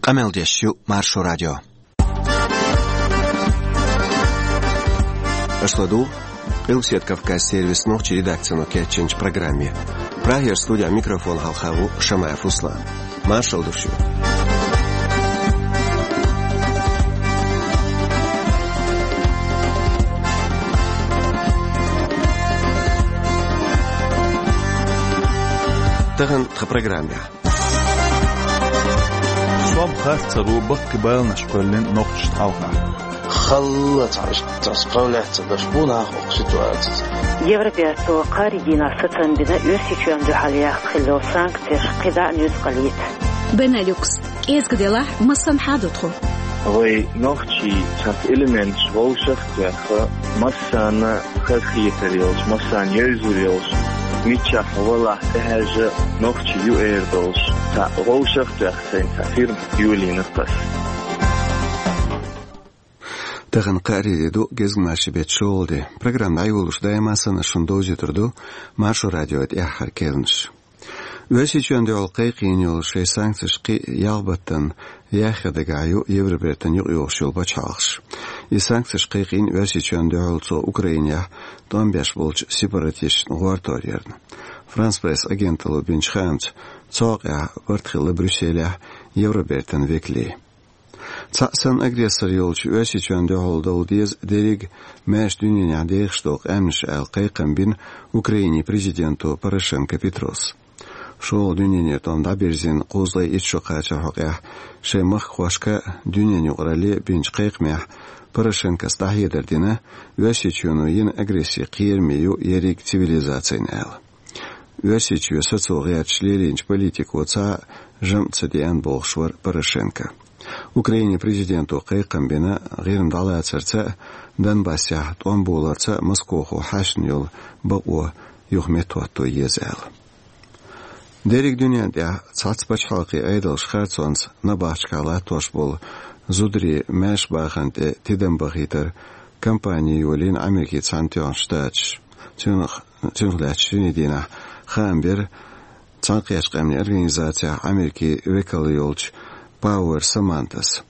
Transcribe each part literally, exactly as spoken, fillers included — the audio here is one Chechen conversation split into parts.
Къамел деш ю Маршо радио. Аша ладугӀу Къилбаседа Кавказан сервисан нохчийн редакцино кечйинчу программе. Прагера студехь микрофон хьалха ву Шамаев Руслан. Маршалла ду шуьга. Тахана тхан программехь. Сом харц ца ду баккхий баланаш кхоьллина нохчашна хьалха. Халла цхьа иштта цхьа справляться деш бу нах окху ситуацица. Евроберто кхаарин дийнахь сацам бина Оьрсийчоьнна дуьхьал яхна хилла санкцеш кхидӀа а нуьцкъала йита. Бенелюкс. КӀезга делахь, массанхьа а ду тхо. Вай нохчий цхьацца элементаш вовшах а тоьхна, массарна хазахетар йолуш, массарна евзар йолуш, миччахь валахь тӀехьаьжча нохчий ю эр долуш, цхьа вовшах а тоьхна сайна цхьа фирма йолийна тхо. Тахана кхаарин де ду, гезгмашин беттан шолгӀа де. Программа дӀайолош даима санна шуна довзуьйтур ду Маршо радион тӀаьххьара керланаш. Оьрсийчоьнна дуьхьал кхайкхийна йолу шайн санкцеш кхин а ялх баттана яхъян дагахь ю Евробертана юкъайогӀуш йолу пачхьалкхаш. И санкцеш кхайкхийна Оьрсийчоьнна дуьхьал цо Украинехь тӀом беш болчу сепаратисташна гӀортор ярна. Франс Пресс агенталло бинчу хаамца, цу хьокъехь барт хилла Брюсселехь Евробертан векалийн. Цхьаъ санна агрессор йолчу Оьрсийчоьнна дуьхьал довла деза дерриг а маьрша дуьненехь дехаш долу къаьмнаш аьлла кхайкхам бина Украинин президенто Порошенко Петрос. ШолгӀа дуьненан тӀом дӀабирзина кхузткъе итт шо кхачаран хьокъехь шайн махкахошка а, дуьненан юкъаралле а бинчу кхайкхамехь Порошенкос дӀахьедар дина, Оьрсийчоьно йина агресси кхераме ю ерриг а цивилизацина аьлла. Оьрсийчоь сацо гӀерташ лелийначу политико цхьа а жамӀ ца деана бохуш вара Порошенко. Украинин президенто кхайкхам бина ГӀирма дӀалацарца а, Донбассехь тӀом боларца а Москохо хьаьшна йолу бакъо юха меттахӀотто еза аьлла. Дерриг дуьнен тӀехь цхьацца пачхьалкхийн Ӏедалша харцонца набахташкахь латтош болу зударийн маьрша бахарна тӀе тидам бахийтаран кампани йолийна Америкин Цхьаьнатоьхначу Штаташа. Цунах, цунах лаьцна шинарин дийнахь хаам бира Цхьаьнакхеттачу Къаьмнийн Организацехь Америкин векал йолчу Пауэр Самантас.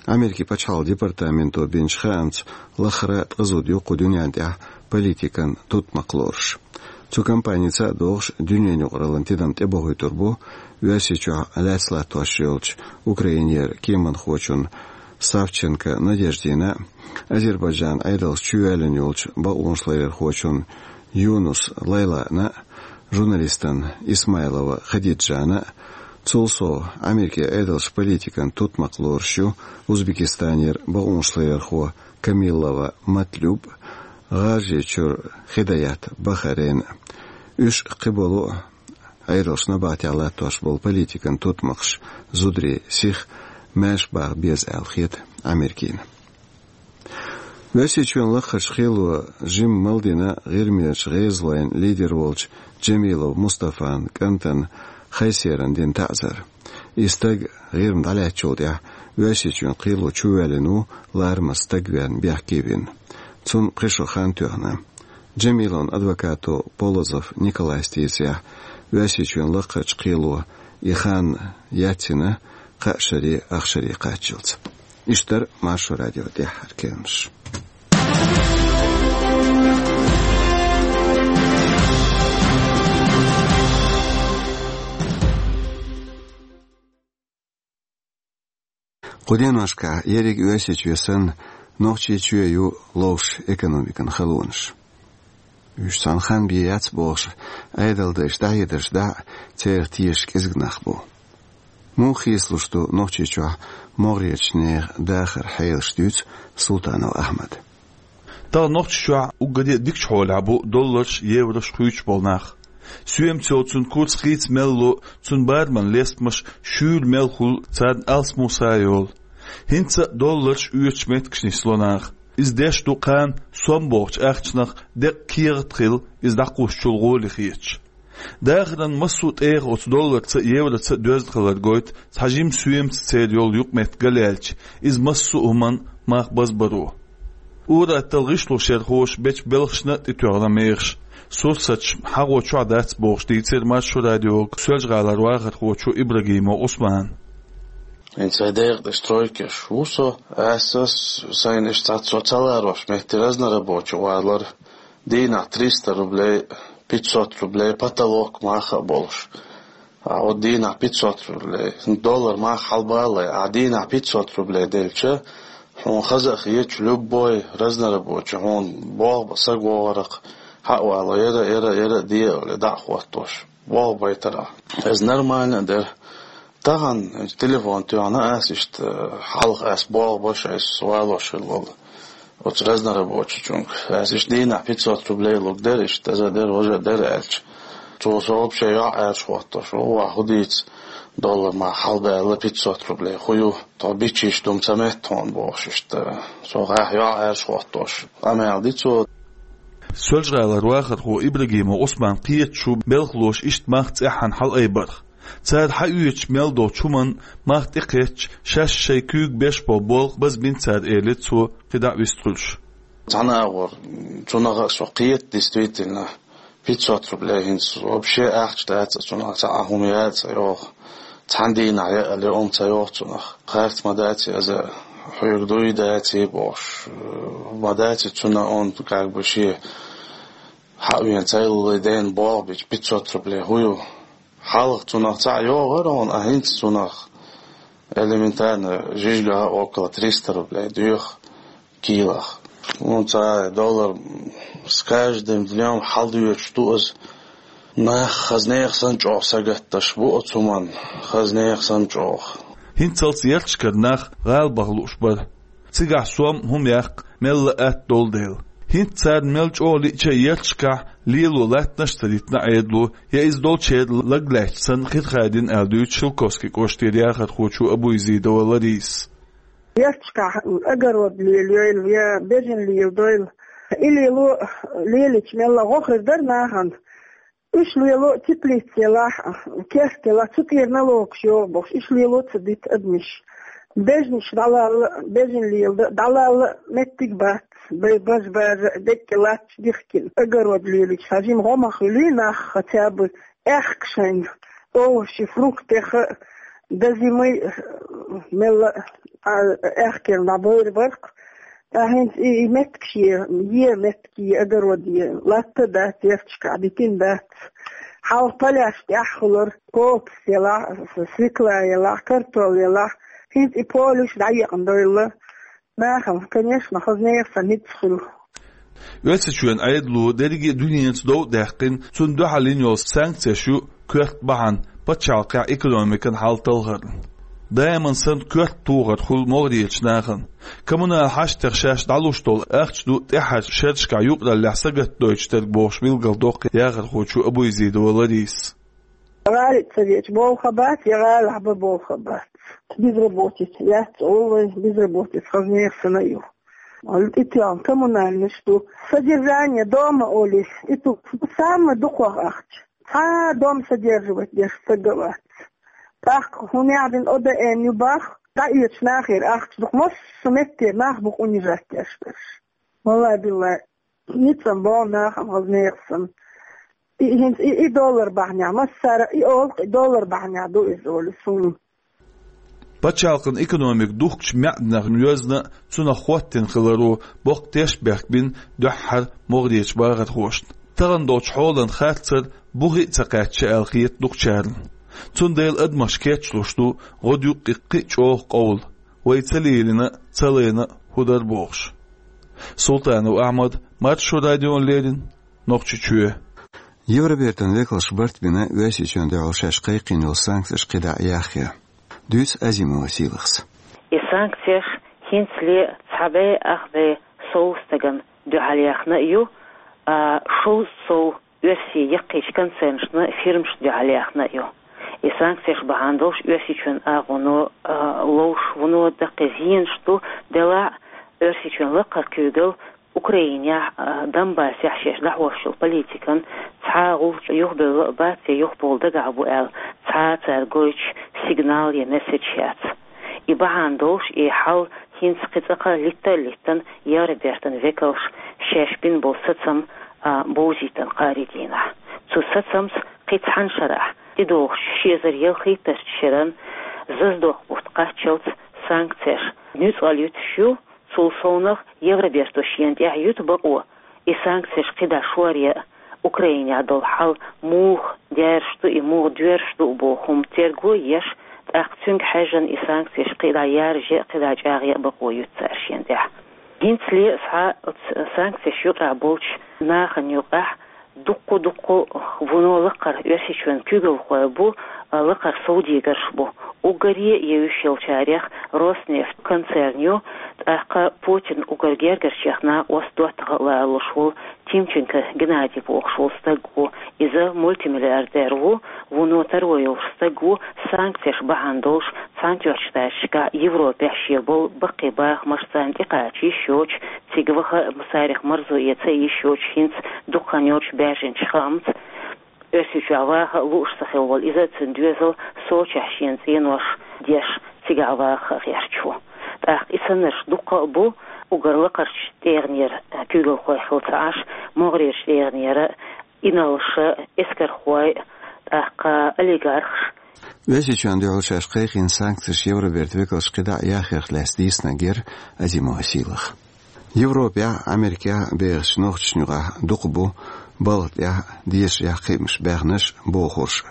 Америкин пачхьалкхан департаменто бинчу хаамца, лахара ткъа зуда ю кху дуьнен тӀехь политикан тутмакх лоруш. Цу кампаница а догӀуш, дуьненан юкъараллин тидам тӀебохуьйтур бу Оьрсийчохь лаьцна латтош йолчу Украинера кеманхочун Савченко Надеждина а, Азербайджанан Ӏедалца чувоьллина йолчу бакъонашларъярхочун Юнус Лайлана а, журналистан Исмайлова Хадиджана а, цул сов Америкин Ӏедалша политикан тутмакх лоруш ю Узбекистанера бакъонашларъярхо Камиллова Матлюб, ГӀажарийчуьра Хидаят Бахарейн а. Уьш а, кхиболу а Ӏедалша набахтехь латтош болу политикан тутмакхаш зударийн сиха маьрша баха беза аьлла хета Америкина. Оьрсийчоьнан лакхарчу кхело жимма мел дина ГӀирмерчу гӀезалойн лидер волчу Джамилов Мустафан кӀантана Хайсерана дина таӀзар. И стаг ГӀирма дӀалаьцначул тӀаьхьа Оьрсийчоьнан кхело чувоьллина ву, ларамаза стаг верна бехке вина. Цунна пхи шо хан тоьхна. Джамиловн адвокато Полозов Николайс дийцарехь, Оьрсийчоьнан лакхарчу кхело и хан яцйина кхаа шаре, ах шаре кхаччалц. Иштта дара Маршо радион тӀаьххьара керланаш. Кху деношкахь ерриг Оьрсийчоь санна, Нохчийчоь ю ловш экономикан халонаш. Уьш цхьана хан бен яц бохуш, Ӏедалан дайша дӀахьедарш дахь а, церах тешаш кӀезиг нах бу. Муха хийцалуш ду Нохчийчохь могӀарерчу нехан дахаран хьелаш, дуьйцу Султанов Ахьмада. Тахана Нохчийчохь уггаре а дикачу хьолехь бу долларш, еврош хуьйцуш болу нах. Соьмаца йолу цуьнан курс хийца мел ло, цуьнан бараман лестамаш шуьйра мел хуьлу, царна алсам са а йолу. ХӀинца а долларш оьцучу меттигашна нисло нах. Иза деш ду кхана сом бохучу ахчанах деккъа кехат а хилла, иза дӀакхуссучул гӀоли хеташ. Дахаран массо а тӀегӀа оцу долларца а, евроца а доьзна хилар гойту цхьа жима соьмаца церан йолу юкъаметтиг галъяьлча, иза массо а хӀуманна мах базбаро. Ур-аттал гӀишлошъярхоша бечу белхашна а тӀетоьхна мехаш, сурсаташ хьагӀо чохь дац бохуш дийцира Маршо радиога Соьлжа-ГӀалара вахархочо Ибрагимов Ӏусмана. ХӀинца вай декъа тӀе стройкаш ву со, аса сайна иштта цхьа со ца ларош метте разнорабочий валар, дийнахь триста рублей, пятьсот рублей потолок маха а болуш. А вот дийнахь пятьсот рублей, доллар маха хьалбаллай, а дийнахь пятьсот рублей делча, хьуна хаза а хеташ, любой разнорабочий, хьуна болх бан саг вогӀарх, хьа а вало, яра, яра, яра а де а, дӀа а хӀоттош. Болх байтарахь. Иза нормально а дара. Тахана телефон тоьхна ас иштта, хьалха ас болх беш, ас валош хилла волу оцу разнорабочийчуьнга. Ас иштта дийнахь пятьсот рублей луг дара, иштта аза дара, важа дара аьлча. Цо со вообще йоӀ аьржа хӀоттош, ву, ва хӀу дийца, доллар ма хьалбаьлла пятьсот рублей, хӀу ю, тхо бичийш дума ца метта хьуна бохуш иштта. Со гӀахь йоӀ аьржа хӀоттош, къамел ди цо. Соьлжа-ГӀалара вахархо Ибрагимов Ӏусман кхеташ ву белхалоша иштта мах цӀеххьана хьалаайбарх. Цара хьаоьцуш мел долчу хӀуманна мах тӀекхетча, шаьш шайн куьйга беш болу болх базбина цара, элира цо, кхидӀа а вистхуьлуш. Цхьана агӀор, цунах а со кхета, действительно, пятьсот рублей хӀинца вообще ахча дац, цунах цхьа а хӀума яц а йоху. Цхьана дийнахь яа ле, омма ца йоху цунах. Харц ма дац, аза хьоьга дуй дац, бохуш, ма дац, цунна он как бы шен хьа а вен цайлале дена болх бича пятьсот рублей хӀу ю. Хьалха цунах цхьаъ йогӀура хьуна, а хӀинца цунах элементарно жижигах а около триста рублей доьху килах. Ну, цхьа доллар с каждым днём хьалдоьцуш ду иза. Нах хаза нехан санна чӀогӀа сагатдеш бу оцу хӀуманна, хаза нехан санна чӀогӀа. ХӀинццалц ярташкара нах гӀала баха лууш бара. Цигахь сом а, хӀума яккха мелла а атта долу дела. ХӀинца царна мел чӀогӀа лиъча а ярташкахь лело латтанаш а ца дитина Ӏедало, я иза долчеран лаг лаьтташ санна хир хадийна аьлла дуьйцу Шелковски кӀоштара яхархочо Абуязидова Ларисас. Ярташкахь огород лелайойла, я бежана леладойла. И лело, лелийча мелла гӀо хир дара нахана. Уьш лело теплица елахь, керста елахь, цу тӀера налогаш йогӀу бохуш, уьш лело ца дита адамаш. Бежанаш дӀалалла, бежана леладан дӀалалла меттиг бац, бай бажа бажа деккъа латташ дихкина. Огород лелийча хьажийна гӀо ма хуьлий нах, хотя бы аьхка шайна овощи, фруктех а, до зимы мелла а аьхкенна дӀабойр барх. Ткъа хӀинца и, и меттигаш е, е меттиг е, огород е, латта дац, ярташкахь дитина дац. Хьалха поляш тӀехь хуьлура, кокос елахь, свекла елахь, картол елахь. ХӀинца и полеш дӀаекъна дойла. Нахана, конечно, хаза нехан санна хӀинца хуьлу. Оьрсийчоьнан Ӏедало дерриге а дуьненца дов а даьккхина, цунна дуьхьал йина йолу санкцеш ю коьрта бахьана пачхьалкхехь экономикан хьал талхарна. Даиман санна коьрта тухар хуьлу могӀарерчу нахана. Коммунал хьаштех шаьш дӀалуш долу ахча ду тӀаьххьарчу шерашкахь юкъараллехь сагатдойтуш дерг бохуш билгалдоккху яхархочо Абуязидова Ларисас. ГӀали ца веача болх а бац, я гӀалахь бан болх а бац. Безработица яц олу вай, безработица хаза нехан санна а ю. ИттӀехь коммунальнаш ду. Содержание дома олий, и ту самый дукхох ахча. Цхьа дом содерживать деш стаг а вац. ТӀаккха хӀун яхьдина О Д Н ю бах, дӀаоьцу нахера ахча дукха массо а меттера нах бу унижать деш берш. Валлай-биллай, ницкъ ма бо нахана хаза нехан санна. И хӀинца и, и доллар бахьанехь, массара а и олу, и доллар бахьанехь ду иза олу суна. Пачхьалкхан экономика духкучу маьӀданех йоьзна а, цунах хӀоттийна хиларо боккха тешнабехк бина дуьххьара могӀарерчу бахархошна. Тахана долчу хьолан харцар бухе а ца кхаьчча аьлла хета дукхачарна. Цундела адамаш кечлуш ду гӀодаюкъ кхин а чӀогӀа къовла, вай ца лелийна а, ца лайна а хӀун дара бохуш. Султанов Ахьмад, Маршо радиона леррина, Нохчийчоь. Евробертан векалша барт бина Оьрсийчоьнна дуьхьал шаьш кхайкхийна йолу санкцеш кхидӀа а яхъян. Дуьйцу Азимова Сийлахьас. И санкцеш хӀинцале цхьа бӀе ах бӀе сов стагана дуьхьал яьхна а ю, а, шовзткъа сов оьрсийн яккхийчу концернашна, фирмашна дуьхьал яьхна а ю. И санкцеш бахьана долуш Оьрсийчоьнан агӀоно, а, ловш вуно даккхий зенаш ду, делахь а Оьрсийчоьнан лакхара куьйгалла Украинехь, а, Донбассехь шаьш дӀахьош йолу политикан цхьа а гӀулч юхабевлла а бац, я юхабовла дагахь бу аьлла, цхьа а цара гойтуш сигнал я месседж яц. И бахьана долуш, и хьал хӀинца кхин цкъа-кха литта а литтана, Евробертан векалша шаьш бина болу сацам, а, бовзийтина кхаарин дийнахь. Цу сацамца кхин цхьана шарахь, тӀедогӀучу ши эзар ялхитталгӀачу шеран, Зазадохк бутт кхаччалц санкцеш нуьцкъала юьтуш ю, цул совнагӀа Евроберто шена тӀехь юьту бакъо, и санкцеш кхидӀа шоръян Украинехь долу хьал муха дерзаш ду, и муха доьрзуш ду боху хӀума терго еш, тӀаккха цуьнга хьаьжжина и санкцеш кхидӀа яржъян, кхидӀа чӀагӀъян бакъо юьту цара шена тӀехь. ХӀинцале схьа санкцеш юкъахь болчу нахана юкъахь дуккха-дуккха вуно лакхара Оьрсийчоьнан куьйгалхой бу, лакхара совдегарш бу. Уггаре а евзаш йолчарех Роснефть концерн ю, тӀаккха Путинан уггар гергарчех накъост доттагӀа а лоруш волу Тимченко Геннадий бохуш волу стаг ву. Иза мультимиллиардер ву, вуно таро йолуш стаг ву, санкцеш бахьана долуш Цхьаьнатоьхначу Штаташкахь, Европехь шен болу баккхий бахамаш царна тӀекхача йиш йоцуш, цига ваха а, царах марзо эца а йиш йоцуш, хӀинца дукха хан йоцуш баьржинчу хаамца, Оьрсийчохь ваха а лууш ца хилла волу иза а, цуьнан доьзал Сочехь шена цӀенош деш, цигахь ваха а гӀерташ ву. ТӀаккха и саннарш дуккха а бу, уггар лакхарчу тӀегӀанера куьйгалхой хилла ца Ӏаш, могӀарерчу тӀегӀанера инарлаша, эскархой, тӀаккха олигархаш. Оьрсийчоьнна дуьхьал шаьш кхайкхийна санкцеш Евробертан векалша кхидӀа а яхъярх лаьцна дийцинарг яра Азимова Сийлаха. Европехь а, Америкехь а бехачу нохчашна юкъахь дукха бу балха тӀехь, дешарехь кхиамаш баьхнарш а, бохурш а.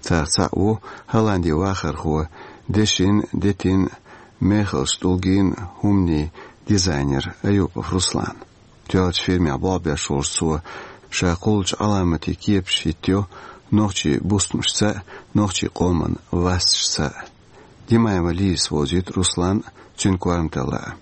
Царах цхьаъ ву Голландин вахархо, дешин, детин, мехаллин, тӀулгин хӀуманийн дизайнер Аюпов Руслан. Тоьллачу фирмехь болх беш волчу цо ша кхуллучу Ӏаламатийн кепаш хӀиттайо нохчийн бустамашца а, нохчийн къоман васташца а. Димаева Лизас вовзуьйту Руслан а, цуьнан корматалла а.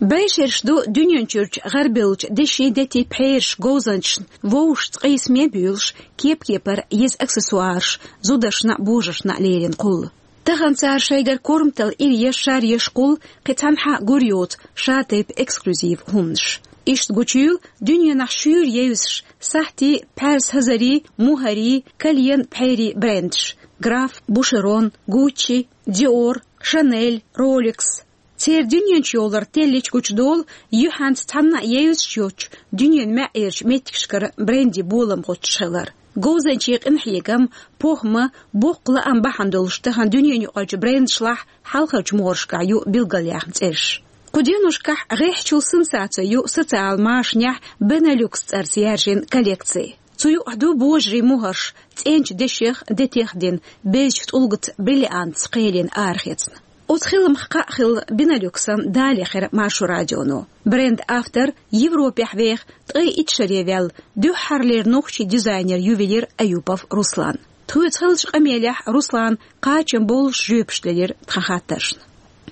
Байшераш ду дуьнен чуьрачу гӀарабевллачу дешин, детийн пхьераш, говзанчашна вовшашца къийсаме а буьйлуш, кеп-кепара еза аксессуараш, зударшна а, божаршна а лерина кхулла. Тахана цара шайгара корматалла ира еш, шар еш кхулла, кхин цхьанхьа гур йоцу шатайпа эксклюзив хӀуманаш. Иштта гучуйийла дуьненахь шуьйра евзаш сахьтийн, пхьаьрса хӀазарийн, мухӀарийн, кален, пхьерийн брендаш: Граф, Бушерон, Гуччи, Диор, Шанель, Ролекс. Церан дуьненчу йовлар теллича гучудолу юьхьанца цхьанна а евзаш йоцучу дуьненан маьӀӀерчу меттигашкара брендийн болам гӀоттуш хилар. Говзанчийн къинхьегам, похӀма, боккха лаам бахьана долуш тахана дуьненан юкъарчу брендашлахь хьалхарчу могӀаршкахь ю билгалъяьхна цӀераш. Кху деношкахь гӀеххьачул сенсаци ю социалан машанехь Бенелюкс цӀарца яьржина коллекци. Цу юкъахь ду божарийн мухӀарш, цӀеначу дешех, детех дина, безачу тӀулгаца, бриллиантца кхелина арахецна. Оцу хиламах кхаъ хилла Бенелюксан далехира Маршо радионо. Брендан автор Европехь веха ткъе итт шаре ваьлла, дуьххьарлера нохчийн дизайнер-ювелир Аюпов Руслан. Тхоьца хиллачу къамелехь Руслана кхачам боллуш жоьпаш делира тхан хаттаршна.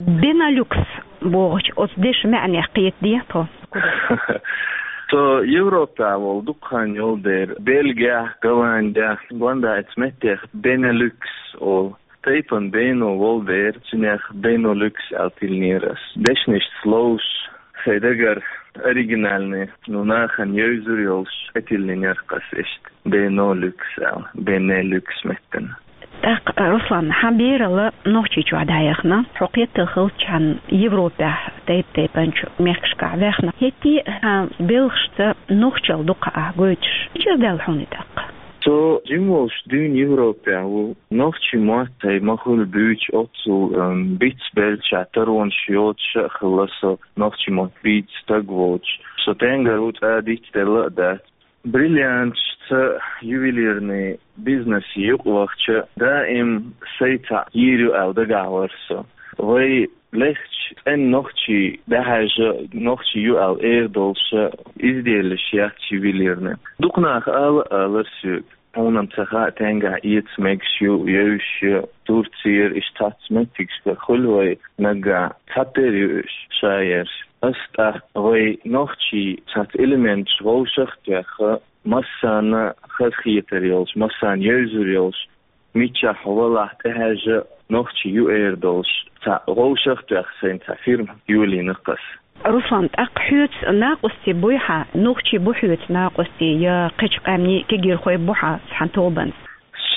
Бенелюкс бохучу оцу дешан маьӀнех кхетадехьа тхо? Со Европехь волу дукха хан йолу дера, Бельгехь, Голландехь, гондайца меттех Бенелюкс олу. Тайпана Бено волу дера, цуьнех Бенолюкс аьлла тиллинера ас. Дешнашца ловзуш, сайн дагара оригинальный, ну, нахана евзур йолуш, тӀетиллинера ас иштта Бенолюкс аьлла, Бенелюкс меттана. ТӀаккха, Руслан, хьан бералла Нохчийчохь дӀаяхна, хьо кхеттал хиллачхьана Европехь тайп-тайпанчу мехкашкахь ваьхна. ХӀетте а хьан белхашца нохчалла дукха ахь гойтуш. Мичара даьлла хьуна и тӀаккха? Со жима волуш дуьйна Европехь ву. Нохчийн мотт тхайн ма-хуьллу буьйцуш оццул, ам, бицбелча, таронаш йоцуш а хилла со, нохчийн мотт бийца стаг волчу. Со тенгар ву, цӀа дицделла а дац. Бриллианташца ювелирный бизнесе юкъавахча, даим сайн цхьаъ йийр ю аьлла дагахь вара со. Вай лехча, цӀена нохчий дӀахьаьжча, нохчий ю аьлла эр долуш изделлаш яц ювелирный. Дукха наха ала а алара соьга. Хьуна-м ца хаьа, тенгахь эца мегаш ю, евзаш ю, Турцера, иштта цхьацца меттигашкара хуьлу вай наггахь, цхьатерра ю уьш шаерш. Ас тӀаккха вай нохчийн цхьацца элементаш вовшах а тоьхна, массарна хазахетар йолуш, массарна евзур йолуш, мичахь хьо валахь тӀехьаьжча, нохчий ю эр долуш, цхьа вовшах а тоьхна, сайна цхьа фирма йолийна ас. Руслан, тӀаккха хьоьца накъостий буй хьан, нохчий бу хьоьца накъостий, я кхечу къаьмнийн кегийрхой бу хьан цхьана тобанца?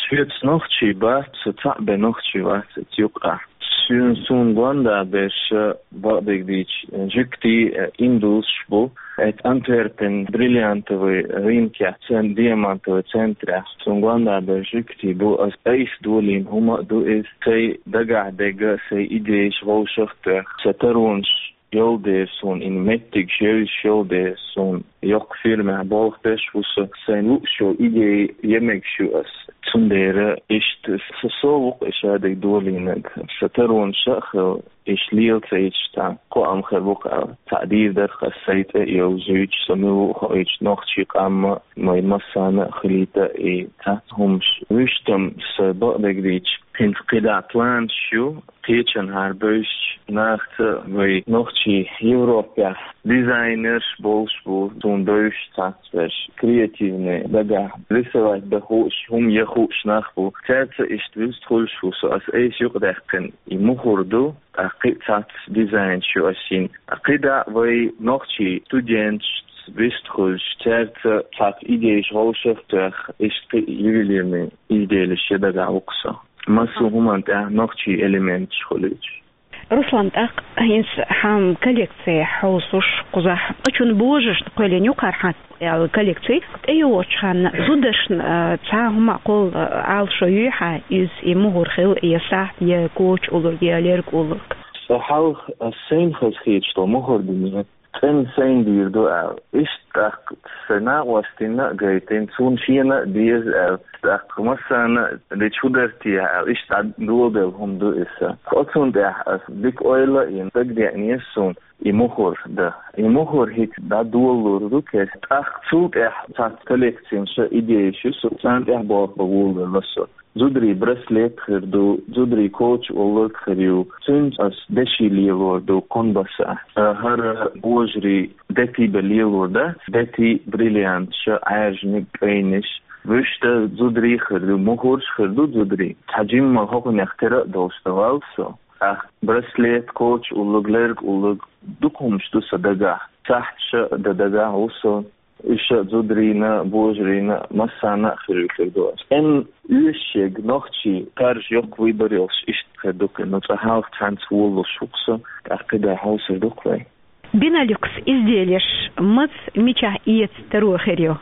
Соьца нохчий бац, со цхьаъ бен нохчи вац оцу юкъахь. Цуьнан суна гонда берш, бакъдерг дийцича, жуьгтий, э, индусаш бу. Эцу Антверпен бриллиантовый рынке, цен-, диамантовый центрехь. Суна гонда берш жуьгтий бу, ас айса долийна хӀума а ду иза, сайн дагахь дерг, сайн идейш вовшах а тоьхна. Сан таронаш йолу дела суна, и меттигаш евзаш йолу дела суна, йоккха фирмехь болх беш ву со, сайн лууш йолу идей ян мегаш ю ас. Цундела иштта со, со ву-кх и шадерг долийнарг. Сан таронаш а хилла, иштта лела ца йича, цхьа кхоам хир бу-кх аьлла. Цхьаъ дийр дара-кх ас сайн цӀе а йовзуьйтуш, со мила ву а хоуьйтуш, нохчийн къам а, вайн массарна а хилийта и цхьацца хӀумаш. Вуьшта-м сан, бакъдерг дийцича, хӀинца кхидӀа планаш ю, кхечанхьара бевзачу нахаца, вай нохчий Европехь дизайнерш болуш бу, суна бевзаш цхьацца берш, креативный, дагахь рисовать дан хууш, хӀума ян хууш нах бу. Цаьрца иштта вуьста хуьлуш ву со, ас айса юкъадаьккхина и мухӀар ду, тӀаккха кхин а цхьацца дизайнаш ю ас йина. КхидӀа вай нохчий студенташца вуьста хуьлуш, цаьрца цхьацца идейш вовшах а тоьхна, иштта кхин а ювелирный изделеш ян дагахь ву-кх со. Массо а хӀуманна тӀехь нохчийн элементаш хуьлуьйтуш. Руслан, тӀаккха хӀинца хьан коллекци хьовсуш кхузахь, кхечун божаршна кхоьллина ю-кх хьан аьлла коллекци. ТӀейогӀучу хенахь зударшна, а, цхьа хӀума а кхолла, а, Ӏалашо юй хьан, иза и мухӀар хила, я сахьт, я коча уллург, я лерг уллург? Сан хьалха ас сайна хазахеташ долу мухӀар дина, цӀена сайна дийр ду аьлла. Иштта тӀаккха сайн накъостина а гайтина, цунна шена а деза аьлла. ТӀаккха массарна а дича хӀун дара те аьлла, иштта дӀадоладелла хӀума ду иза. Оцунна тӀехь ас дика ойла а йина, дагадеънера суна и мухӀар дан. И мухӀар хӀинца дӀадолалур ду кеста. ТӀаккха цул тӀаьхьа цхьацца коллекцина сан идейш ю, со царна тӀехь болх бан волавелла со. Зударийн браслет хир ду, зударийн коча уллург хир ю, цуьнца ас деши лелор ду кхунбаса. ХӀара божарийн дети бен лелор дац, дети, бриллианташ, Ӏаьржаниг, кӀайнаш. Вуьшта зударийн хир ду, мухӀарш хир ду зударийн. Цхьа жимма хӀокхунех тера а долуш дан ваьлла со. ТӀаккха браслет, коча уллург, лерг уллург, дукха хӀумаш ду сан дагахь. Сахьташ а дан дагахь ву со. Уьш а зударийн а, божарийн а, массарна а хир ю, хир ду ас. ЦӀена оьшуш ерг нохчийн, кхаржа йоккха выбор йолуш иштта хир ду кхин, ну цкъа хьалха цхьаьнца волалуш ву-кх со, тӀаккха кхидӀа хьовсур ду-кх вай. Бенелюкс изделеш маца, мичахь эца таро хир ю?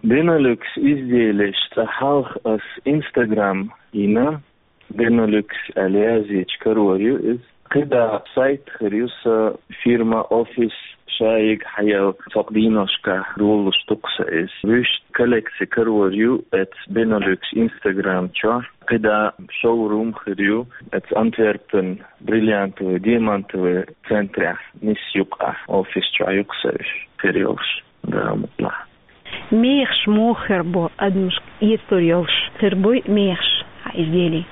Бенелюкс изделеш цкъа хьалха ас Instagram йина, Бенелюкс аьлла язйича карор ю иза. КхидӀа сайт хир ю сан, фирма, офис, шайиг хьаяьлла, цхьа кху дийношкахь долалуш ду-кх сан иза. Вуьшта коллекци карор ю эцу Бенелюкс Instagram чохь. КхидӀа шоурум хир ю эцу Антверпен бриллиантовый, диамантовый центрехь, нисса юкъахь, офис чохь ю-кх сан уьш хир йолуш, Дала мукъ лахь. Мехаш муха хир бу адамашка эцалур йолуш? Хир буй мехаш хьан изделийн?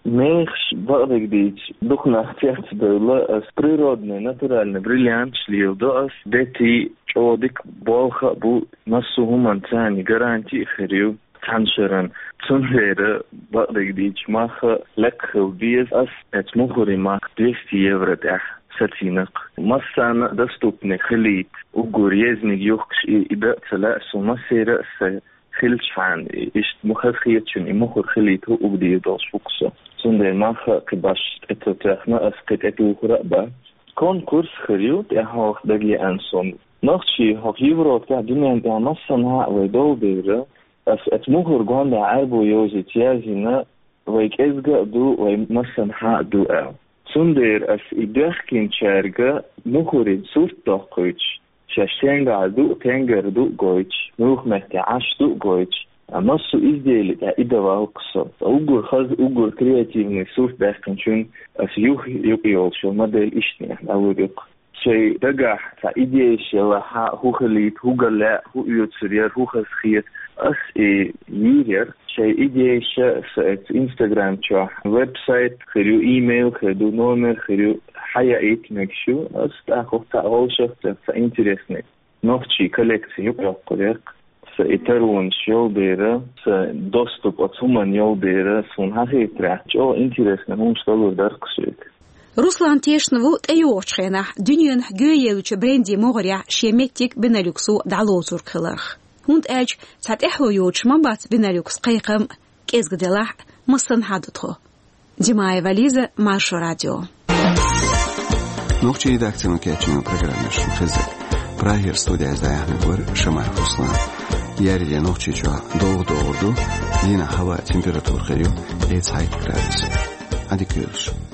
Мехаш, бакъдерг дийцича, дукха нах цецбевлла, ас природный, натуральный бриллианташ леладо ас, дети чӀогӀа дика болх а бу, массо а хӀуманна царна гаранти а хир ю цхьана шеран. Цундела, бакъдерг дийцича, мах а лекха хила беза, ас эцу мухӀарийн мах двести евро тӀехь сацийна-кх. Массарна а доступный хилийта, уггар езниг юхкуш и, и дан а ца лаьа суна, массеран а сан хилчхьана, иштта ма хазахетачунна и мухӀар хилийта хӀуъа дийр долуш ву-кх со. Цундела мах а кхин башха тӀе ца тоьхна, ас кхин тӀетухур а бац. Конкурс хир ю, тӀаьхьа хьалха дагайеана суна. Нохчий хӀокху Европехь, дуьнен тӀехь массанхьа а вай долу дела, ас эцу мухӀар гондӀа Ӏаьрбо йовзийта язйина, вай кӀезга а ду, вай массанхьа а ду аьлла. Цундела ас и доьхкинчаьрга мухӀарийн сурт доккхуьйтуш, шаьш стенгахь ду а, тенгара ду а гойтуш, муьлха метте Ӏаш ду а гойтуш, а массо а изделин тӀехь и дан ваьлла-кх со. Уггар хаза, уггар креативный сурт даьккхинчунна ас юха юкъайолуш йолу модель иштанехь дӀалур ю-кх. Шайн дагахь цхьа идейш ялахь а, хӀун хилийта, хӀун ган лаьа, хӀун оьцур яра, хӀун хазахета, ас и йийр яра. Шайн идейш а сан эцу Instagram чохь, веб-сайт хир ю, имейл хир ду, номер хир ю, хьаяийта мегаш ю. Ас тӀаккха цхьа вовшахтоьхна, цхьа интересный нохчийн коллекци юкъайоккхур яра-кх. Сан и таронаш йолу дела, сан доступ оцу хӀуманна йолу дела, суна хетарехь, чӀогӀа интересный хӀуманаш далур дара-кх соьга. Руслан тешна ву тӀейогӀучу хенахь дуьненахь гӀоьейлачу брендийн могӀарехь шен меттиг Бенелюксо дӀалоцург хиларх. ХӀунда аьлча цхьа тӀаьхьо йоцуш ма бац Бенелюкс кхайкхам а, кӀезга делахь а, массанхьа а ду тхо. Димаева Лиза, Маршо радио. Нохчийн редакцино кечйина программа шуна хеза. Прагера студехь дӀаяьхьнарг вара Шамаев Руслан. Ер де Нохчийчохь довха догӀур ду, дийнахь хӀаваан температура хир ю, эца хьайт градус. Ӏадика йойла шун.